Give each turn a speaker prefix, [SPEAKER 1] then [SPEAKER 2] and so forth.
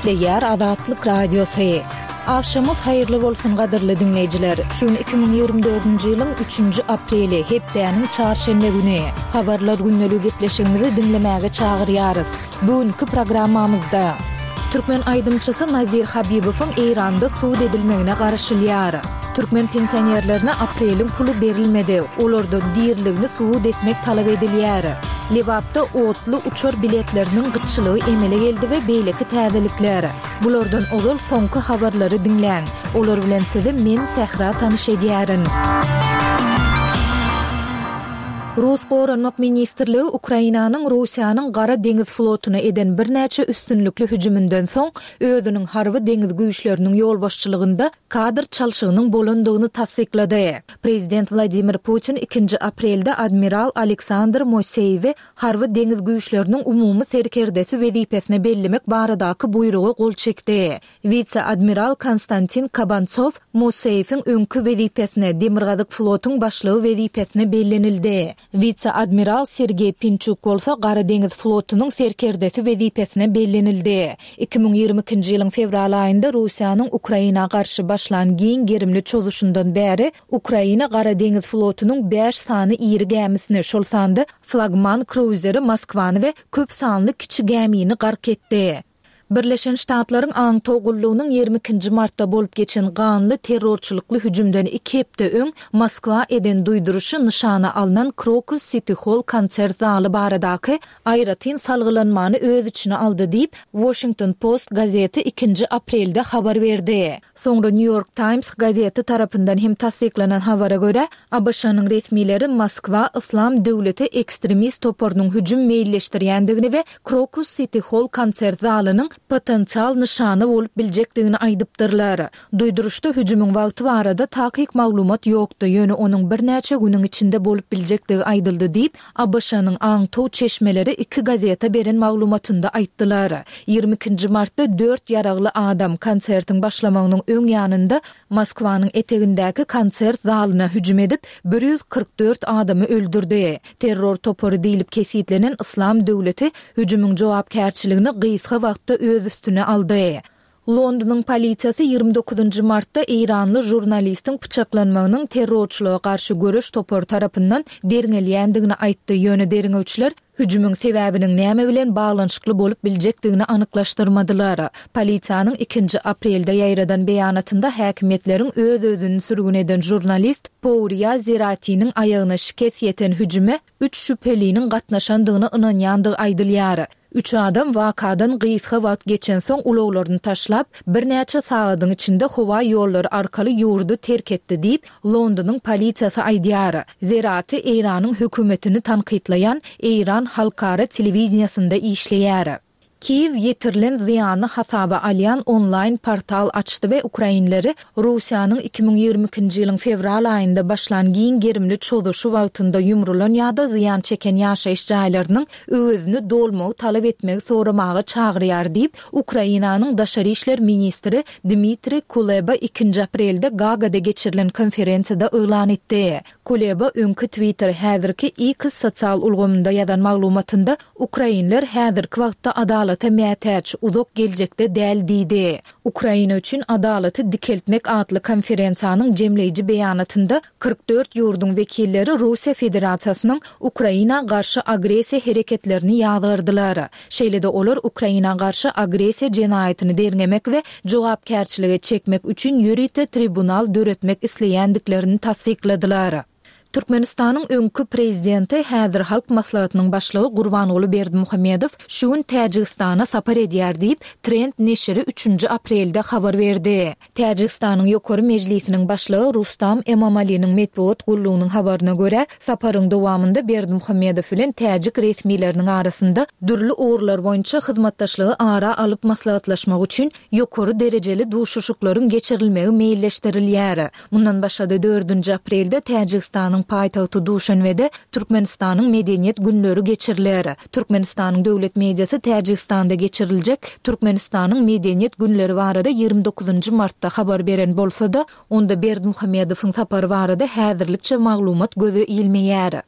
[SPEAKER 1] Gepleýär Azatlyk Radiosy. Agşamyňyz haýyrly bolsun gadyrly diňleýjiler. Şu gün 2024-nji ýylyň üçünji apreli, hepdäniň çarşenbe güni. Habarlar gündeligi gepleşigimizi diňlemäge çagyrýarys. Bu günki programmamyzda. Türkmen aýdymçysy Nazir Habibowyň Eýranda sud edilmegine garaşylýar. Türkmen pensionerlerine apreliň puly berilmedi, olardan diriligini subut etmek talap edilýär. Lebapda otly uçar biletleriniň gytçylygy emele geldi we beýleki täzelikler. Bulardan ozal soňky habarlary diňläň. Olar bilen sizi men Sähra tanyş edýärin. Rus Goranmak ministrligi Ukrainanyň Russiýanyň Gara deňiz flotuna eden birnäçe üstünlikli hüjüminden soň, özüniň harby deňiz güýçleriniň ýolbaşçylygynda kadr çalşygynyň bolandygyny tassyklady. Prezident Wladimir Putin ikinji aprelde admiral Aleksandr Moseýewi harby deňiz güýçleriniň umumy serkerdesi wezipesine bellemek baradaky buýruga gol çekdi. Wise-admiral Konstantin Kabantsow Moseýewiň öňki wezipesine, Demirgazyk flotuň başlygy wezipesine bellenildi. Wise-admiral Sergeý Pinçuk bolsa Gara deňiz flotunyň serkerdesi wezipesine bellenildi. 2022-nji ýylyň fewral aýynda Russiýanyň Ukraina garşy başlan giň gerimli çozuşyndan bäri Ukraina Gara deňiz flotunyň bäş sany iri gämisini, şol sanda flagman kruizeri Moskwany we köp sanly kiçi gämini gark etdi. Birleşen Ştatlaryň aňtaw gullugynyň 22 nji martda bolup geçen ganly terrorçylykly hüjümden iki hepde öň Moskwa eden duýduryşy nyşana alnan Krokus Siti Holl konsert zaly baradaky aýratyn salgylanmany öz içine aldy diýip, Washington Post gazeti ikinji aprelde habar berdi. Soňra New York Times gazeti tarapyndan hem tassyklanan habara görä, ABŞ-nyň resmileri Moskwa Yslam döwleti ekstremist toparynyň hüjüm meýilleşdirýändigini we Krokus Siti Holl konsert zalynyň potensial nyşana bolup biljekdigini aýdypdyrlar. Duýduryşda hüjümiň wagty barada takyk maglumat ýokdy, ýöne onuň birnäçe günüň içinde bolup biljekdigi aýdyldy diýip, ABŞ-nyň aňtaw çeşmeleri iki gazete beren maglumatynda aýtdylar. 22 nji martda dört ýaragly adam konsertiň başlamagynyň öň ýanynda Moskwanyň etegindäki konsert zalyna hüjüm edip, 144 adamy öldürdi. Terror topary diýlip kesgitlenen Yslam döwleti hüjümiň jogapkärçiligini gysga wagtda öz üstüne aldy. Londonyň polisiýasy 29 nji martda eýranly žurnalistiň pyçaklanmagynyň terrorçylyga garşy göreş topary tarapyndan derňelýändigini aýtdy, ýöne derňewçiler hüjümiň sebäbiniň näme bilen baglanyşykly bolup biljekdigini anyklaşdyrmadylar. Polisiýanyň ikinji aprelde ýaýradan beýanatynda häkimiýetleriň öz-özüni sürgün eden žurnalist Pouria Zeratiniň aýagyna şikes ýeten hüjüme üç şübheliniň gatnaşandygyna ynanýandygy aýdylýar. Üç adam wakadan gysga wagt geçensoň ulaglaryny taşlap, birnäçe sagadyň içinde howa ýollary arkaly ýurdy terk etdi diýip, Londonyň polisiýasy aýdýar. Zerati Eýranyň hökümetini tankytlaýan Eýran halkara telewideniýesinde işleýär. Kiýew ýetirilen zyýany hasaba alýan onlaýn portal açdy we ukrainleri Russiýanyň 2022-nji ýylyň fewral aýynda başlan giň gerimli çozuşy wagtynda ýumrulan ýa-da zyýan çeken ýaşaýyş jaýlarynyň öwezini dolmagy talap etmegi soramaga çagyrýar diýip, Ukrainanyň daşary işler ministri Dmitriý Kuleba ikinji aprelde Gagada geçirilen konferensiýada yglan etdi. Kuleba öňki Twitter, häzirki X sosial ulgamynda ýazan maglumatynda Ukrainler häzirki wagtda adalata mätäç, uzak geljekde däl diýdi. Ukraina üçin adalaty dikeltmek atly konferensiýanyň jemleýji beýanatynda 44 ýurduň wekilleri Russiýa Federasiýasynyň Ukraina garşy agressiýa hereketlerini ýazgardylar. Şeýle-de olar Ukraina garşy agressiýa jenaýatyny derňemek we jogapkärçilige çekmek üçin ýörite tribunal döretmek isleýändiklerini tassykladylar. Türkmenistanyň öňki Prezidenti, häzir Halk Maslahatynyň Başlygy Gurbanguly Berdimuhamedow şu gün Täjigistana sapar edýär diýip, Trend neşiri üçünji aprelde habar berdi. Täjigistanyň Ýokary Mejlisiniň Başlygy Rustam Emomaliniň metbugat gullugynyň habaryna görä, saparyň dowamynda Berdimuhamedow bilen täjik resmileriniň arasynda dürli ugurlar boýunça hyzmatdaşlygy ara alyp maslahatlaşmak üçin ýokary derejeli duşuşyklaryň geçirilmegi meýilleşdirilýär. Mundan başga-da, dördünji aprelde Täjigistanyň paýtagty Duşanbede Türkmenistanyň Medeniýet günleri geçiriler. Türkmenistanyň döwlet mediasy Täjigistanda geçiriljek Türkmenistanyň Medeniýet günleri barada 29 martda habar beren bolsa-da, onda Berdimuhamedowyň sapary barada häzirlikçe maglumat göze ilmeýär.